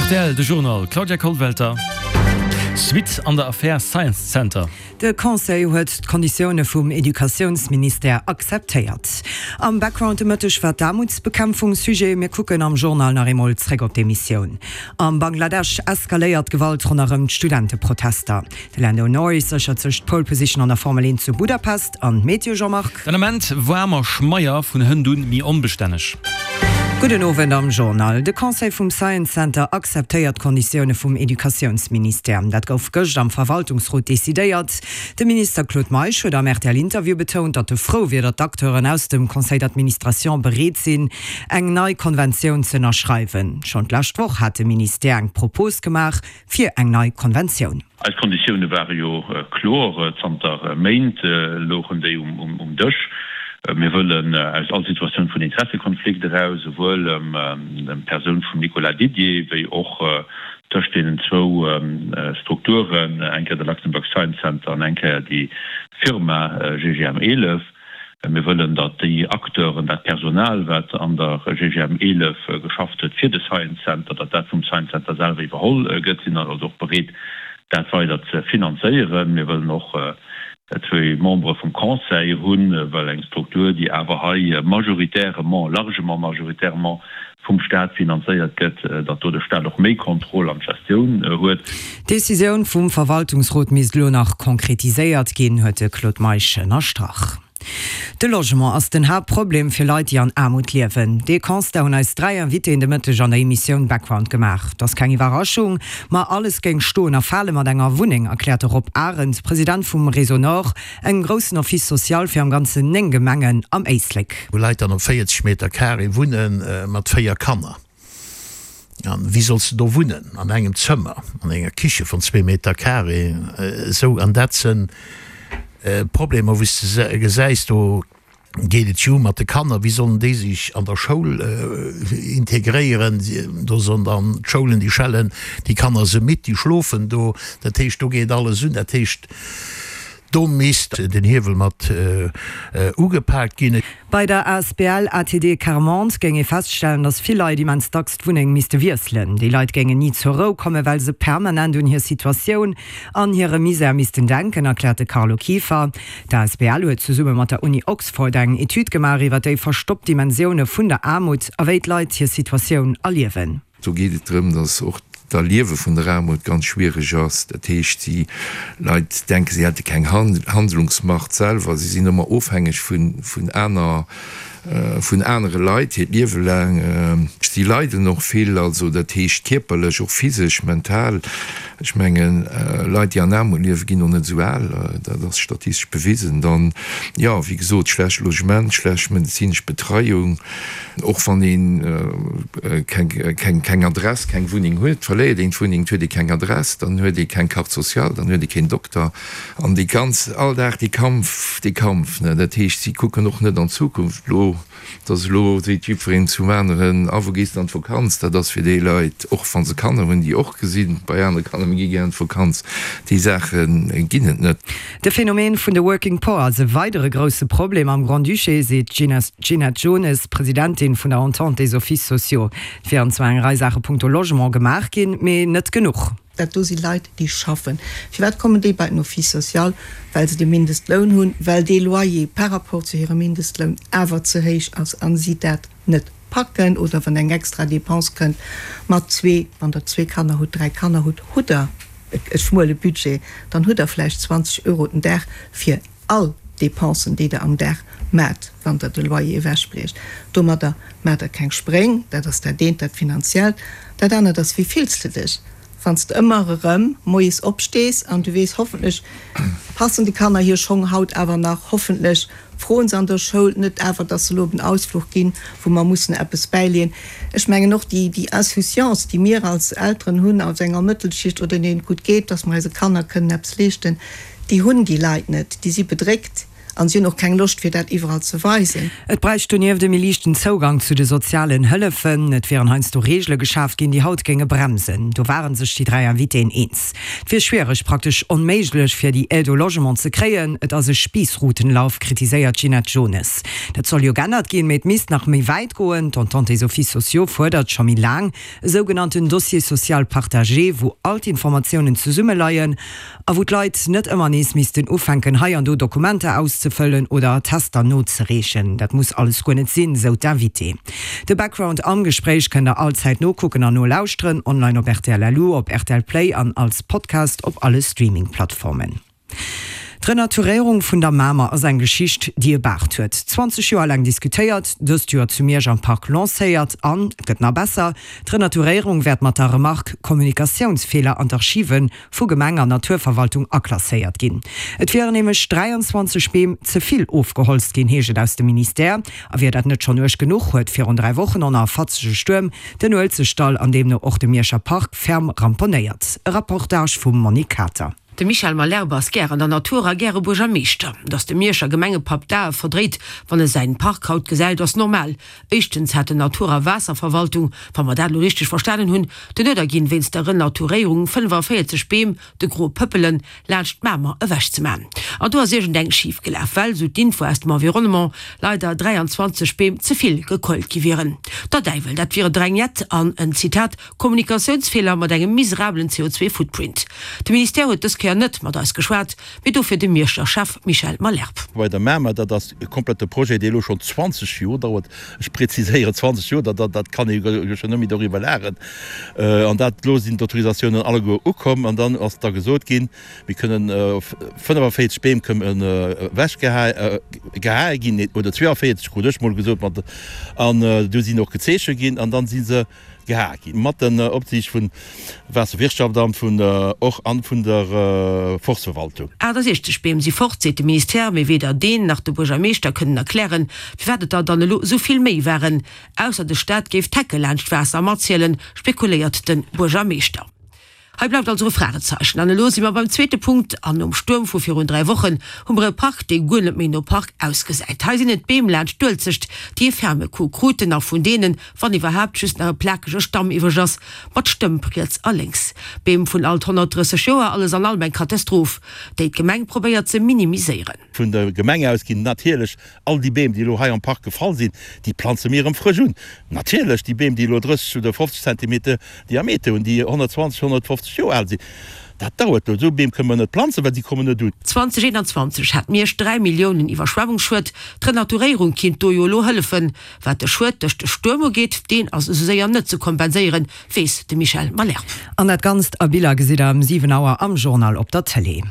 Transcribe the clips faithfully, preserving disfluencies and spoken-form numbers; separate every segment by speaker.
Speaker 1: Rtl, De Journal, Claudia Kollwelter. Suite an der Affär Science Center.
Speaker 2: De Conseil huet d'Konditioune vum Educatiounsministère akzeptéiert. Am Background de Mëtteg war d'Aarmutsbekämpfung Sujet. Mir kucken am Journal nach eemol zréck op d'Emissioun. Am Bangladesch eskaléiert d'Gewalt ronderëm d'Studenteprotester. De Lando Norris séchert sech d'Pole Position an der Formel eent zu Budapest. An d'Meteo, Jean-Marc?
Speaker 1: Den Ament waarm a schmeier, vun hënt un méi onbestänneg.
Speaker 2: Gudden Owend am Journal. De Conseil vum Science Center akzeptéiert d'Konditioune vum Educatiounsministère. Dat gouf gëscht am Verwaltungsrot decidéiert. De Minister Claude Meisch huet am R T L-Interview betount, datt e frou wier, datt d'Acteuren aus dem Conseil d'administration bereet sinn, eng nei Konventioun ze ënnerschreiwen. Schonn d'lescht Woch hat de Ministère eng Propos gemaach fir eng nei Konventioun.
Speaker 3: Eis Konditioune ware jo kloer, zanter Méint louchen déi um Dësch. Mir wëllen aus all Situatioun vun Interessekonflikt eraus, esouwuel ëm d'Persoun vum Nicolas Didier wéi och tëscht deenen zwou Strukturen, eng Kéier de Luxembourg Science Center an eng Kéier déi Firma G G M eelef. Mir wëllen, datt déi Acteuren, dat Personal, wat an der G G M eelef geschafft huet fir de Science Center, datt dat vum Science Center selwer iwwerholl gëtt. Sinn also och bereet, dat weider ze finanzéieren. Mir wëllen och zwee Membere vum Conseil hunn, well eng Struktur, déi awer hei majoritairement, largement majoritairement vum Staat finanzéiert gëtt, datt do de Staat och méi Contrôle an d'Gestioun huet.
Speaker 2: D'Decisioun vum Verwaltungsrot misst elo nach konkretiséiert ginn, huet de Claude Meisch ënnerstrach. De Logement ass den Haaptproblem fir Leit, déi an Aarmut liewen. Dee Constat hunn eis dräi Invitéen de Mëtteg an der Emissioun Background gemaach. Dat ass keng Iwwerraschung, ma alles géing stoen a fale mat enger Wunneng, erkläert de Rob Arendt, President vum Réseau Nord, engem groussen Office social fir am Ganzen néng Gemengen am Éislek.
Speaker 4: Wou Leit dann op véierzeg Meter Carré wunne mat véier Kanner. An wéi solls de do wunnen an engem Zëmmer, an enger Kiche vun zwee Meter Carré? Esou, an dat sinn Problemer, wou s de gesäis, do geet et jo mat de Kanner, wéi sollen déi sech an der Schoul integréieren? Do sollen dann d'Schoulen, déi schellen déi Kanner se midd, déi schlofen do. Dat heescht, do geet alles un. Dat heescht, do misst den Hiewel mat ugepaakt ginn.
Speaker 2: Bei der A S B L A T D Quart-Monde géing ee feststellen, datt vill Leit immens dacks d'Wunneng misste wiesselen. Déi Leit géingen ni zur Rou kommen, well se permanent un hir Situatioun an hire Misär missten denken, erkläert de Carlo Kieffer. D'A S B L huet zesumme mat der Uni Oxford eng Etüd gemaach iwwer déi verstoppt Dimensioune vun der Aarmut a wéi d'Leit hir Situatioun erliewen.
Speaker 5: Do geet et drëm, datt och d'Erliewe vun der Aarmut ganz schwiereg ass. Dat heescht, déi Leit denken, si hätte keng Handlungsmacht selwer, si sinn ëmmer ofhängeg vun vun aner vun anere Leit hiert Liewe laang. Si leiden och vill, also dat heescht kierperlech, och physesch, mental. Ech mengen, Leit, déi an Aarmut liewen, ginn och net esou al, dat ass statistesch bewisen. Dann, jo, wéi gesot, schlecht Logement, schlecht medezinesch Betreiung. Och wann ee keng keng Adress, keng Wunneng huet, verléiert een d'Wunneng, et huet ee keng Adress, dann huet ee keng Carte sociale, dann huet ee keen Dokter. An déi ganz, all Dag dee Kampf, dee Kampf, ne. Dat heescht, si kucken och net an d'Zukunft elo, dass elo seet jiddwereen zum aneren, A wou gees de an d'Vakanz? Dat ass fir déi Leit, och wa se Kanner hunn, déi och gesinn bei anere Kanner, mir gi gär an d'Vakanz, déi Saache ginn et net.
Speaker 2: De Phänomen vun de Working Poor ass e weidere grousse Problem am Grand-Duché, seet d'Ginette Jones, Presidentin vun der Entente des Offices sociaux. Et wieren zwar eng Rei Saache punkto Logement gemaach ginn, mee net genuch.
Speaker 6: Dat do si Leit, déi schaffen. Firwat kommen déi bei den Office social? Well se de Mindestloun hunn, well dee Loyer par rapport zu hirem Mindestloun awer ze héich ass a si dat net packen. Oder wann eng extra Dépense kënnt mat zwee, wann Der zwee Kanner hutt, dräi Kanner hutt, hutt Der e schmuele Budget, dann hutt Der vläicht zwanzeg Euro den Dag fir all Dépensen, déi Der am Dag maacht, wann Der de Loyer ewechbriecht. Domadder maacht Der keng Spréng. Dat ass dat eent, dat Finanziellt. Dat anert ass, Wéi fills de dech, wann s de ëmmer erëm moies opstees an du weess, hoffentlech passen de Kanner hir Schong haut awer nach, hoffentlech froen se an der Schoul net awer, dass se elo op en Ausfluch ginn, wou mer mussen eppes bäileeën. Ech mengen och déi, déi Insouciance, déi mir als Elteren hunn, aus enger Mëttelschicht oder deenen et gutt geet, dass mer eise Kanner kënnen eppes leeschten, déi hunn déi Leit net. Déi si bedréckt. An si hunn och keng Loscht fir dat iwwerall ze weisen.
Speaker 2: Et bräicht donieft e méi liichten Zougang zu de sozialen Hëllefen. Et wieren heiansdo Reegele geschaaft ginn, déi haut géinge bremsen. Do ware sech déi dräi Invitéen eens. Et wier schwiereg, praktesch onméiglech fir déi Aide au logement ze kréien. Et ass e Spiessrutenlauf, kritiséiert d'Ginette Jones. Dat soll jo geännert ginn, mee et misst nach méi wäit goen. D'Entente des Offices sociaux fuerdert scho méi laang e sougenannten Dossier social partagé, wou all d'Informatiounen zesummeleien a wou d'Leit net ëmmer nees missten ufänken, hei an do Dokumenter auszefëllen oder Attester nozereechen. Dat muss alles guer net sinn, sou d'Invitée. De Background am Gespréich kënnt der allzäit nokucken an nolauschteren, online op rtl lu, op rtl Play an als Podcast op alle Streaming-Plattformen. D'Renaturéierung vun der Mamer ass eng Geschicht, déi e Baart huet. Zwanzeg Joer laang diskutéiert, dëst Joer zu Miersch am Park lancéiert an, et gëtt nach besser, d'Renaturéierung wäert mat der Remark Kommunikatiounsfeeler an d'Archive vu Gemeng an Naturverwaltung aklasséiert ginn. Et wieren nämlech dräianzwanzeg Beem ze vill ofgeholzt ginn, heescht et aus dem Ministère. A wier dat net schonn uerg genuch, huet virun dräi Wochen och nach e fatzege Stuerm den Uelzechtdall an deemno och de Mierscher Park ferm ramponéiert. E Reportage vum Monique Kater.
Speaker 7: De Michel Malherbe ass gär an der Natur a gäre Buergermeeschter. Datt de Mierscher Gemengepapp d'Ae verdréit, wann e säin Park haut gesäit, ass normal. Éischtens hat den Natur a Waasserverwaltung, wa mer dat elo richteg verstanen hunn, den Uerder ginn, wéinst der Renaturéierung fënnefaféierzeg Beem, de gro Pëppelen, laanscht d'Mamer ewechzeman. An do ass iergendeng schif gelaf, well, sou d'Info aus dem Environnement, leider dräianzwanzeg Beem ze vill gekeult gi wieren. Der Däiwel, dat wier e Drängett an en, Zitat, Kommunikatiounsfeeler mat engem miserabelen C O zwei Footprint. De Ministère huet dës Kéier net mat eis geschwat, mee dofir de Mierscher Chef Michel Malherbe.
Speaker 8: Bei der Mamer, dat ass e komplette Projet, dee elo schonn zwanzeg Joer dauert. Ech präziséieren, zwanzeg Joer, dat, dat kann ee jo schonn net méi doriwwer lachen. An dat, elo sinn d'Autorisatiounen alleguer ukomm an dann ass da gesot ginn, mir kënnen fënnefaféierzeg Beem kënnen ewechgehae ginn, oder zweeënféierzeg, krut ech mol gesot, mat, an du sinn och gezeeche ginn an dann si se gehae ginn. Mat den Opsiicht vun Waasserwirtschaftsamt, vun och an vun der Forstverwaltung.
Speaker 7: Aachtasechzeg Beem si fort, seet de Ministère, mee weder deen nach de Buergermeeschter kënnen erklären, firwat et der dann elo esou vill méi waren. Ausser de Staat géif d'Hecke laanscht d'Waasser matzielen, spekuléiert de Buergermeeschter. Hei bleift also e Fragezeichen. An elo si mer beim zweete Punkt, an nom Stuerm vu virun dräi Wochen hu mer e Park, dee guer net méi no Park ausgesäit. Hei sinn et d'Beem laanscht d'Uelzecht, déi e ferme Coup kruten a vun deenen, wann iwwerhaapt, just nach e plakege Stamm iwwreg ass, mat Stëmp riets a lénks. Beem vun alt honnertdrësseg Joer, alles an allem eng Katastroph, déi d'Gemeng probéiert ze minimiséieren.
Speaker 8: Vun der Gemeng aus ginn natierlech all déi Beem, déi elo hei am Park gefall sinn, déi planze mir erëm frësch un. Natierlech déi Beem, déi elo drësseg oder fofzeg Zentimeter Diameter hunn, déi honnertzwanzeg, honnertfofzeg Joer al sinn, dat dauert elo. Esou Beem kënne mer net planzen, well si kommen net un.
Speaker 7: zweitausendeenanzwanzeg hat Miersch dräi Milliounen Iwwerschwemmungsschued. D'Renaturéierung kinnt do jo elo hëllefen. Wat de Schued duerch de Stuerm ugeet, deen ass esou séier net ze kompenséieren, weess de Michel Malherbe.
Speaker 2: An dat Ganzt a Biller gesitt der ëm siwen Auer am Journal op der Tëlee.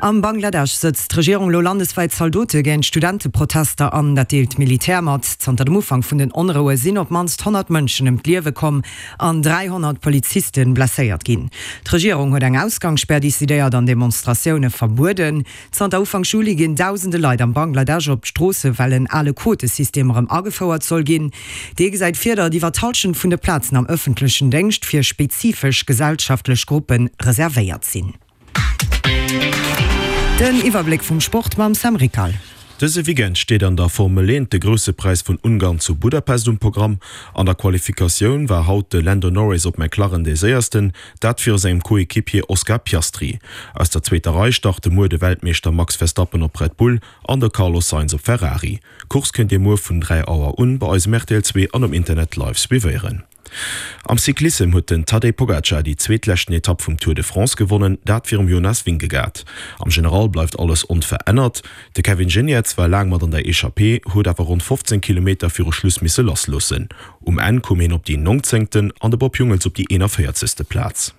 Speaker 2: Am Bangladesch sëtzt d'Regierung elo landeswäit Zaldote géint Studenteprotester an. Dat deelt d'Militär mat. Zanter dem Ufank vun den Onroue sinn op d'mannst honnert Mënschen ëm d'Liewe komm an dräihonnert Poliziste blesséiert ginn. D'Regierung huet eng Ausgangsspär decidéiert an Demonstratioune verbueden. Zanter Ufank Juli ginn dausende Leit am Bangladesch op d'Stroosse well en ale Quotesystem erëm agefouert soll ginn. Dee gesäit vir, datt iwwer d'Hallschent vun de Plazen am ëffentlechen Déngscht fir spezifesch gesellschaftlech Gruppe reservéiert sinn. Den Iwwerbléck vum Sport mam Sam Rickal.
Speaker 9: Dëse Weekend steet an der Formel eent de Grousse Präis vun Ungarn zu Budapest um Programm. An der Qualifikatioun war haut de Lando Norris op McLaren dee Séiersten, dat viru sengem Coequipier Oscar Piastri. Aus der zweeter Rei starte muer de Weltmeeschter Max Verstappen op Red Bull an de Carlos Sainz op Ferrari. D'Course kënnt Dir muer vun dräi Auer un bei eis um R T L zwee an um Internet live suivéieren. Am Cyclissem huet den Tadej Pogacar déi zweetleschten Etapp vum Tour de France gewonnen, dat virum Jonas Vingegaard. Am General bleift alles onverännert. De Kevin Geniets war laang mat an der Echappée, huet awer ronn fofzéng Kilometer viru Schluss misse lassloossen. Um Enn koum hien op déi nongzéngten an de Bob Jungels op déi eenavéierzegste Plaz.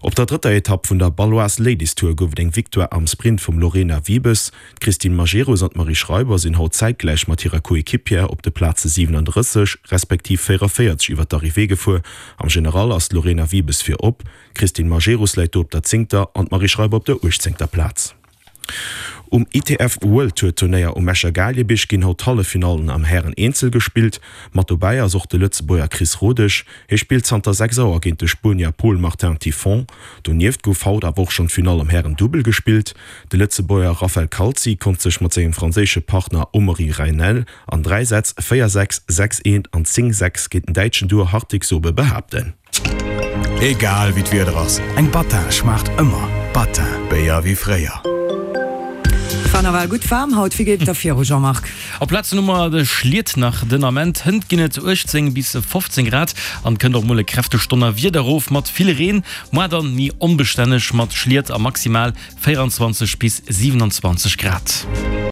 Speaker 9: Op der drëtter Etapp vun der Baloise Ladies Tour gouf et eng Victoire am Sprint vum Lorena Wiebes. D'Christine Majerus an d'Marie Schreiber sinn haut zäitgläich mat hirer Coéquipière op de Plaze siwenandrësseg respektiv véieraféierzeg iwwer d'Arrivée gefuer. Am General ass d'Lorena Wiebes virop, d'Christine Majerus läit do op der zéngter an d'Marie Schreiber op der uechtzéngter Plaz. Um I T F World Tour Turnéier um Escher Gaalgebierg ginn haut d'Halleffinallen am Hären-Eenzel gespillt. Mat dobäi ass och de Lëtzebuerger Chris Rodesch. Hie spillt zanter sechs Auer géint de Spuenier Pol Martin Tiffon. Donieft gouf haut awer och schonn d'Finall am Hären-Dubbel gespillt. De Lëtzebuerger Raphael Calzi konnt sech mat sengem franséische Partner Amaury Raynel an dräi Sätz, véier sechs, sechs eent an zéng sechs, géint den däitschen Duo Hartig-Sobe behaapten.
Speaker 10: Egal wéi d'Wieder ass, eng Battin schmaacht ëmmer. Battin, Béier wéi fréier.
Speaker 2: War nawell gutt waarm haut, wéi geet et da viru Jean-Marc?
Speaker 1: Op Plazen hu mer de Schliet nach den Ament. Hënt ginn et uechtzéng bis fofzéng Grad an et kënnt och mol e kräftegt Donnerwieder erof mat vill Reen. Moar dann méi onbestänneg mat Schliet a maximal véieranzwanzeg bis siwenanzwanzeg Grad.